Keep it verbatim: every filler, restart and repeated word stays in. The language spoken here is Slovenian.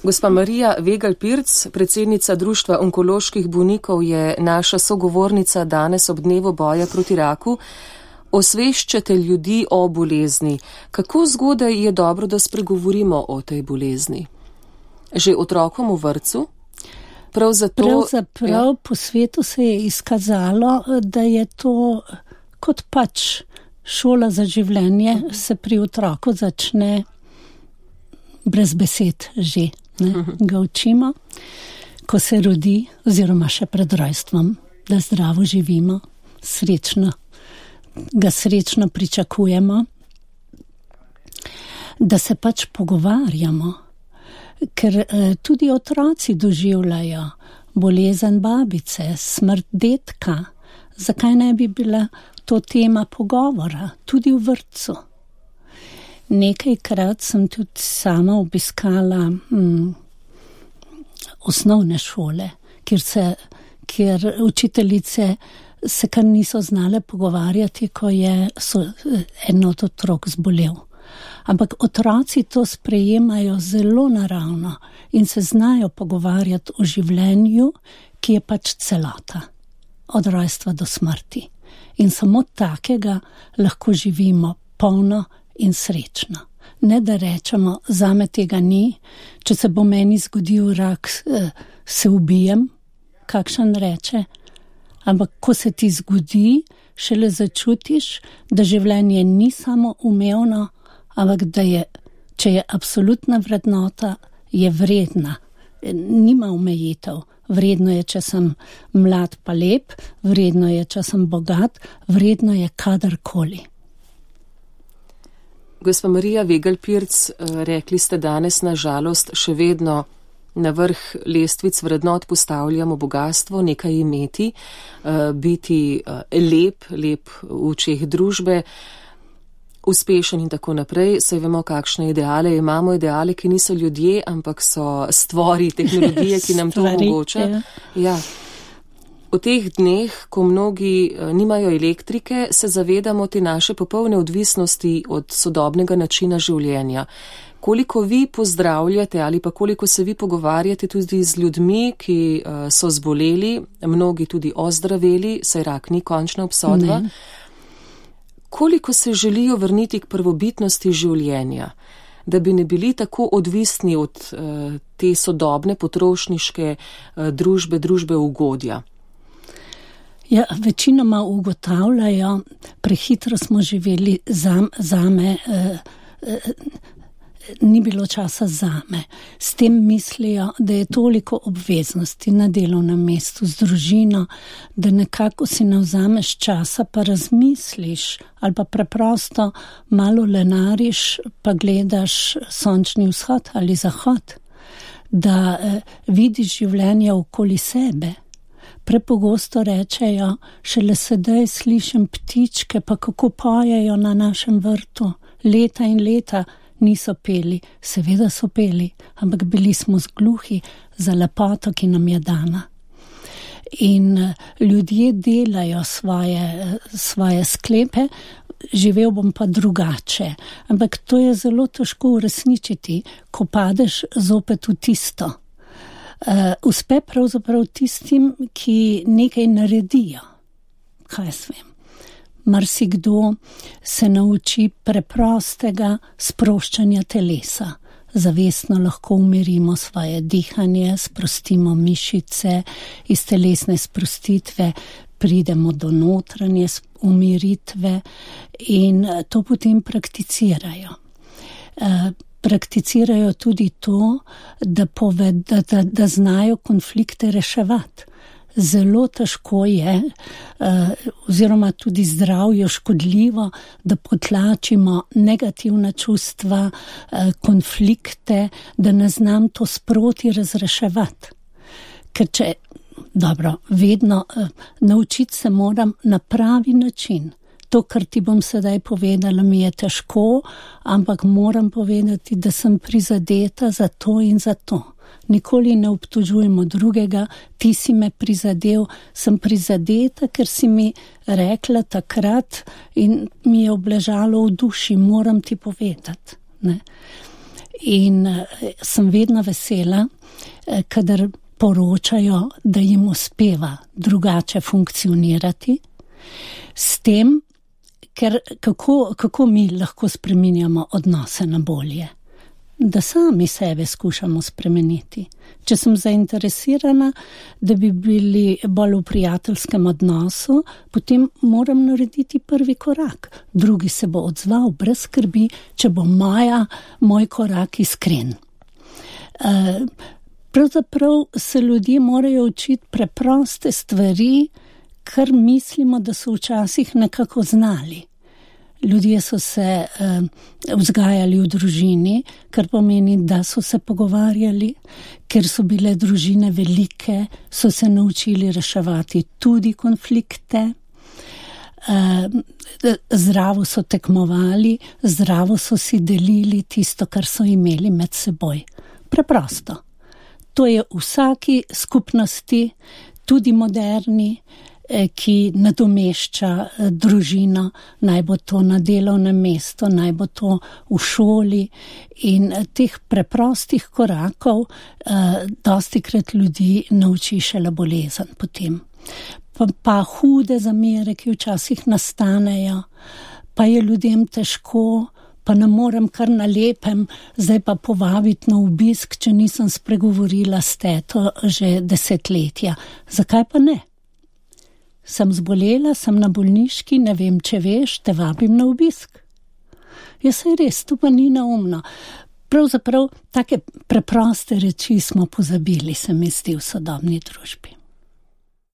Gospa Marija Vegelj-Pirc, predsednica Društva onkoloških bolnikov, je naša sogovornica danes ob dnevu boja proti raku. Osveščate ljudi o bolezni. Kako zgodaj je dobro, da spregovorimo o tej bolezni? Že otrokom v vrtcu? Prav zato, Pravzaprav ja. Po svetu se je izkazalo, da je to kot pač šola za življenje, se pri otroku začne brez besed že. Ne, ga učimo, ko se rodi, oziroma še pred rojstvom, da zdravo živimo, srečno, ga srečno pričakujemo, da se pač pogovarjamo, ker eh, tudi otroci doživljajo bolezen babice, smrt dedka. Zakaj ne bi bila to tema pogovora, tudi v vrtcu? Nekajkrat sem tudi sama obiskala hm, osnovne šole, kjer, se, kjer učiteljice se kar niso znale pogovarjati, ko je so, en od otrok zbolel. Ampak otroci to sprejemajo zelo naravno in se znajo pogovarjati o življenju, ki je pač celota, od rojstva do smrti. In samo takega lahko živimo polno in srečno. Ne da rečemo, zame tega ni, če se bo meni zgodil rak, se ubijem, kakšen reče. Ampak ko se ti zgodi, šele začutiš, da življenje ni samo umevno, ampak da je, če je absolutna vrednota, je vredna. Nima omejitev. Vredno je, če sem mlad pa lep, vredno je, če sem bogat, vredno je kadarkoli. Gospa Marija Vegelj-Pirc, rekli ste danes, na žalost, še vedno na vrh lestvic vrednot postavljamo bogatstvo, nekaj imeti, biti lep, lep v očeh družbe, uspešen in tako naprej. Saj vemo, kakšne ideale imamo, ideale, ki niso ljudje, ampak so stvori tehnologije, ki nam to omogoča. Ja. V teh dneh, ko mnogi nimajo elektrike, se zavedamo te naše popolne odvisnosti od sodobnega načina življenja. Koliko vi pozdravljate ali pa koliko se vi pogovarjate tudi z ljudmi, ki so zboleli, mnogi tudi ozdraveli, saj rak ni končna obsodba. Ne. Koliko se želijo vrniti k prvobitnosti življenja, da bi ne bili tako odvisni od uh, te sodobne potrošniške uh, družbe, družbe ugodja? Ja, večinoma ugotavljajo, prehitro smo živeli, zam, zame, eh, eh, ni bilo časa zame. S tem mislijo, da je toliko obveznosti na delovnem mestu z družino, da nekako si ne vzameš časa, pa razmisliš ali pa preprosto malo lenariš, pa gledaš sončni vzhod ali zahod, da eh, vidiš življenje okoli sebe. Prepogosto rečejo, šele sedaj slišim ptičke, pa kako pojejo na našem vrtu. Leta in leta niso peli, seveda so peli, ampak bili smo zgluhi za lepoto, ki nam je dana. In ljudje delajo svoje, svoje sklepe, živel bom pa drugače. Ampak to je zelo težko uresničiti, ko padeš zopet v tisto. Uh, uspe pravzaprav tistim, ki nekaj naredijo. Kaj jaz vem? Marsikdo se nauči preprostega sproščanja telesa. Zavestno lahko umirimo svoje dihanje, sprostimo mišice, iz telesne sprostitve pridemo do notranje umiritve in to potem prakticirajo. Uh, Prakticirajo tudi to, da, poved, da, da, da znajo konflikte reševati. Zelo težko je, uh, oziroma tudi zdravju škodljivo, da potlačimo negativna čustva, uh, konflikte, da ne znam to sproti razreševati. Ker če, dobro, vedno uh, naučiti se moram na pravi način. To, kar ti bom sedaj povedala, mi je težko, ampak moram povedati, da sem prizadeta za to in za to. Nikoli ne obtožujemo drugega, ti si me prizadel, sem prizadeta, ker si mi rekla takrat in mi je obležalo v duši, moram ti povedati. Ne? In sem vedno vesela, kadar poročajo, da jim uspeva drugače funkcionirati, s tem, ker kako, kako mi lahko spreminjamo odnose na bolje. Da sami sebe skušamo spremeniti. Če sem zainteresirana, da bi bili bolj v prijateljskem odnosu, potem moram narediti prvi korak. Drugi se bo odzval brez skrbi, če bo moja, moj korak iskren. Pravzaprav se ljudje morajo učiti preproste stvari, kar mislimo, da so včasih nekako znali. Ljudje so se uh, vzgajali v družini, kar pomeni, da so se pogovarjali, ker so bile družine velike, so se naučili reševati tudi konflikte, uh, zdravo so tekmovali, zdravo so si delili tisto, kar so imeli med seboj. Preprosto. To je v vsaki skupnosti, tudi moderni, ki nadomešča družino, naj bo to na delovnem mestu, naj bo to v šoli, in teh preprostih korakov eh, dostikrat ljudi nauči šele bolezen potem. Pa, pa hude zamere, ki včasih nastanejo, pa je ljudem težko, pa ne morem kar na lepem zdaj pa povabiti na obisk, če nisem spregovorila s teto že desetletja. Zakaj pa ne? Sem zbolela, sem na bolniški, ne vem, če veš, te vabim na obisk. Ja, saj res, to pa ni neumno. Pravzaprav take preproste reči smo pozabili, se mi zdi, v sodobni družbi.